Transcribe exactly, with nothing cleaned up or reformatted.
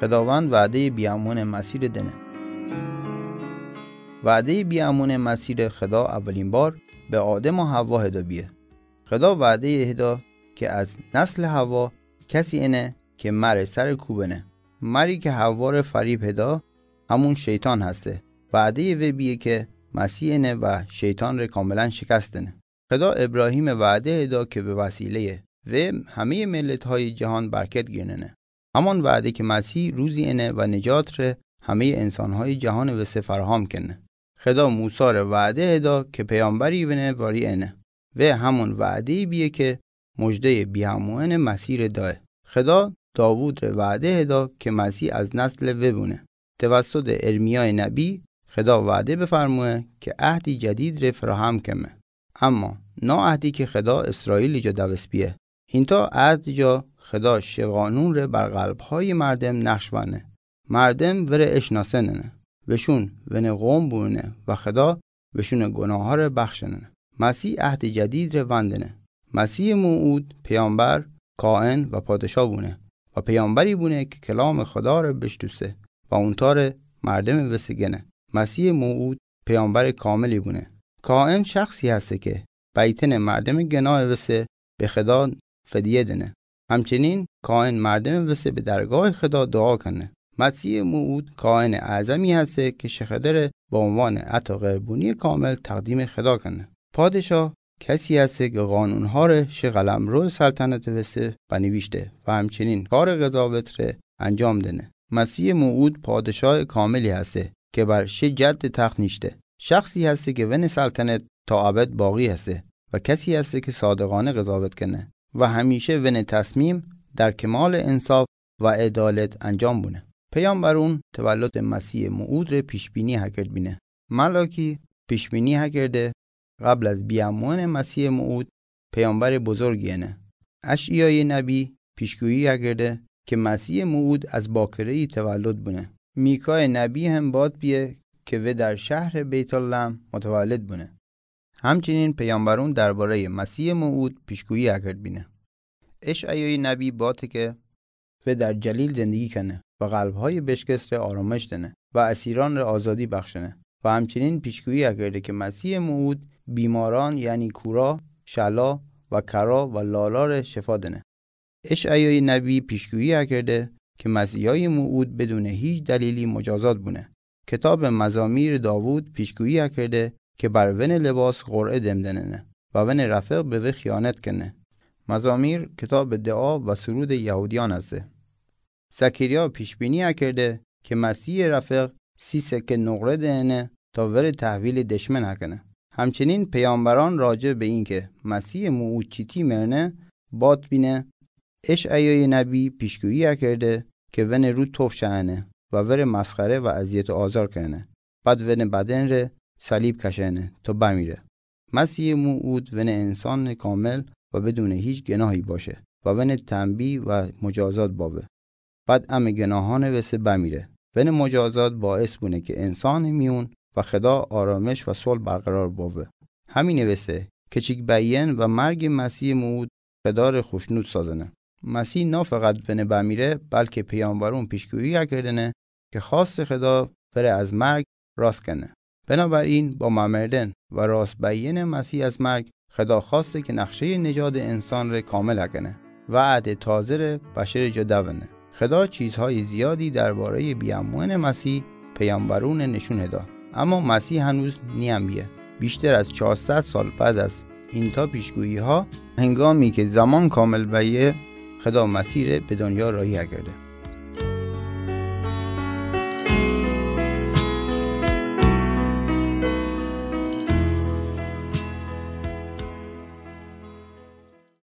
Xhedavand va'deye biamuene Masire dene. Va'deye biamuene Masire Xheda awalin bar be Adem o Hawa hedo bie. Xheda va'deye hedo ke az nasle Hawa kesi ene ke mare sare kubene. Mari ke Haware farib hedo, hamun Şeytan heste. Va'deye we bie ke Masih ene wa Şeytanre kamilan şikast dene. Xheda Ebrahime va'de hedo ke be wasileye we hameye milethay cihan berket girnene. Haman va'de ke Masih ruzi ene wa necatr hameye insanhay cihane wese faraham kene. Xheda Musare va'de hedo ke peyamberi wene wari ene. We hamun va'de bie ke mojde biamuene Masihre dae. Xheda Davudre va'de hedo ke Masih az nasle we bune. Tevassude Ermiyae nebi Xheda va'de befarmue ke Ahdi Cedidre faraham keme. Ama na Ahdi ke Xheda İsraili ca dawes bie. Inta Ahdi ca Xheda şi qanunre bar qalbhaye mardem naqsh vane. Mardem were eşnasenene. Weşun wene qom bune wa Xheda weşune gunahare baxshenene. Masih Ahdi Cedidre vandene. Masih muud peyamber, kaen wa padişa bune. Wa peyamberi bune ke kelame Xhedare beşnuse wa untare mardeme wese gene. Masih muud peyamberi kamili bune. Kaen şexsi heste ke beytene mardeme genae wese be Xheda fediye dene. Hamçenin kaen mardeme wese be dergahe Xheda dua kene. Masih muud kaene azami heste ke şi Xhedare ba unvane ata qerbuniye kamil taqdime Xheda kene. Padişa kesi heste ke qanunhare şi qalemroe saltanete wese benivişte wa hamçenin kare qezavetre encam dene. Masih muud padişae kamili heste ke bar şi cedde taxt nişte. Şexsi heste ke wene saltanet ta ebed baqi heste wa kesi heste ke sadiqane qezavet kene wa hemişe wene tesmim der kemale insaf wa edalet encam bune. Peyamberun tevellute Masih muudre pişbini akerd bine. Malaki pişbini akerde, qebl az biamuene Masih muud peyamberi buzurg yene. Eşiyaye nebi pişguyi akerde ke Masih muud az bakireyi tevellut bune. Mikae nebi hem bad bie ke we der şehre Beytlahem mutevellit bune. Hamçenin peyamberun derbare Masih muud pişguyi akerd bine. Eşiyaye nebi bate ke we der Celil zindigi kene wa qalbhaye beşkestre arameş dene wa esiranre azadi baxşene. Wa hamçenin pişguyi akerde ke Masih muud bimaran, yani kura, şela wa kera wa lalare şifa dene. Eşiyaye nebi pişguyi akerde ke Mesihaye muud bedune hiç delili mucazat bune. Kitabe Mezamir Davud pişguyi akerde ke bar wene libas qur'e dem denene wa wene refiq be we xiyanet kene. Mezamir kitabe dua wa surude Yehudiyan heste. Zekeriya pişbini akerde ke Mesihe refiq si seke nuqre denene ta were tehvili deşmen akene. Hamçenin peyamberan raci be inke Mesihe muud çiti merne bad bine, Eşiyaye nebi pişguyi akerde ke wene ru tof şene wa were mesxere wa eziyet azar kene. Bad wene bedenre salib keşene ta bemire. Mesihe muud wene insane kamil wa bedune hiç genahi başe wa wene tenbi wa mucazat bawe. Bad ame genahane wese bemire. Wene mucazat baes bune ke insane miyun wa Xeda arameş wa sulh berqerar bawe. Hamine wese ke çik beyen wa merge Mesihe muud Xedare xuşnud sazene. Mesih na feqet wene bemire, belke peyamberun pişguyi akerdene ke xaste Xeda were ez merg rast kene. Binaberin ba mamerden wa rast beyene Mesih ez merg, Xeda xaste ke neqşe necade insanre kamil akene. Weade tazere beşere ca dewene. Xeda çizhay ziyadi derbare biyamuene Mesih peyamberune nişun heda. Ama Mesih henuz niyen biye. Bişter ez çar sed sal bad ez inta pişguyiha, hengami ke zeman kamil beye, Xeda Mesihre be dunya rahi akerde.